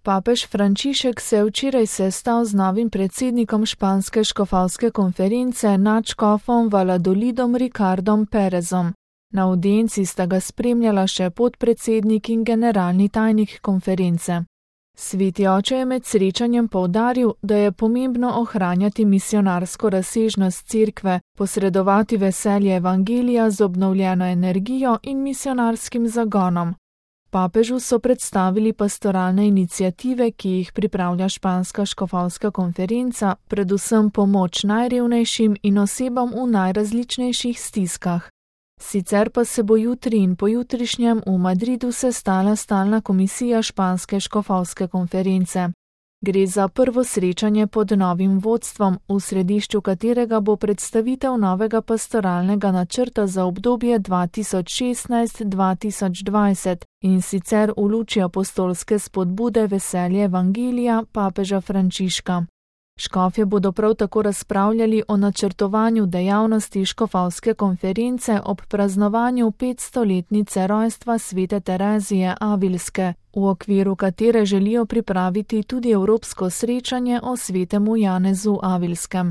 Papež Frančišek se je včeraj sestal z novim predsednikom španske škofovske konference nadškofom Valladolidom Ricardom Perezom. Na avdienci sta ga spremljala še podpredsednik in generalni tajnik konference. Sveti oče je med srečanjem poudaril, da je pomembno ohranjati misionarsko razsežnost cerkve, posredovati veselje evangelija z obnovljeno energijo in misionarskim zagonom. Papežu so predstavili pastoralne iniciative, ki jih pripravlja španska škofovska konferenca, predvsem pomoč najrevnejšim in osebam v najrazličnejših stiskah. Sicer pa se bo jutri in pojutrišnjem v Madridu sestala stalna komisija španske škofovske konference. Gre za prvo srečanje pod novim vodstvom, v središču katerega bo predstavitev novega pastoralnega načrta za obdobje 2016-2020 in sicer v luči apostolske spodbude veselje evangelija papeža Frančiška. Škofje bodo prav tako razpravljali o načrtovanju dejavnosti škofovske konference ob praznovanju 500-letnice rojstva svete Terezije Avilske, v okviru katere želijo pripraviti tudi evropsko srečanje o svetemu Janezu Avilskem.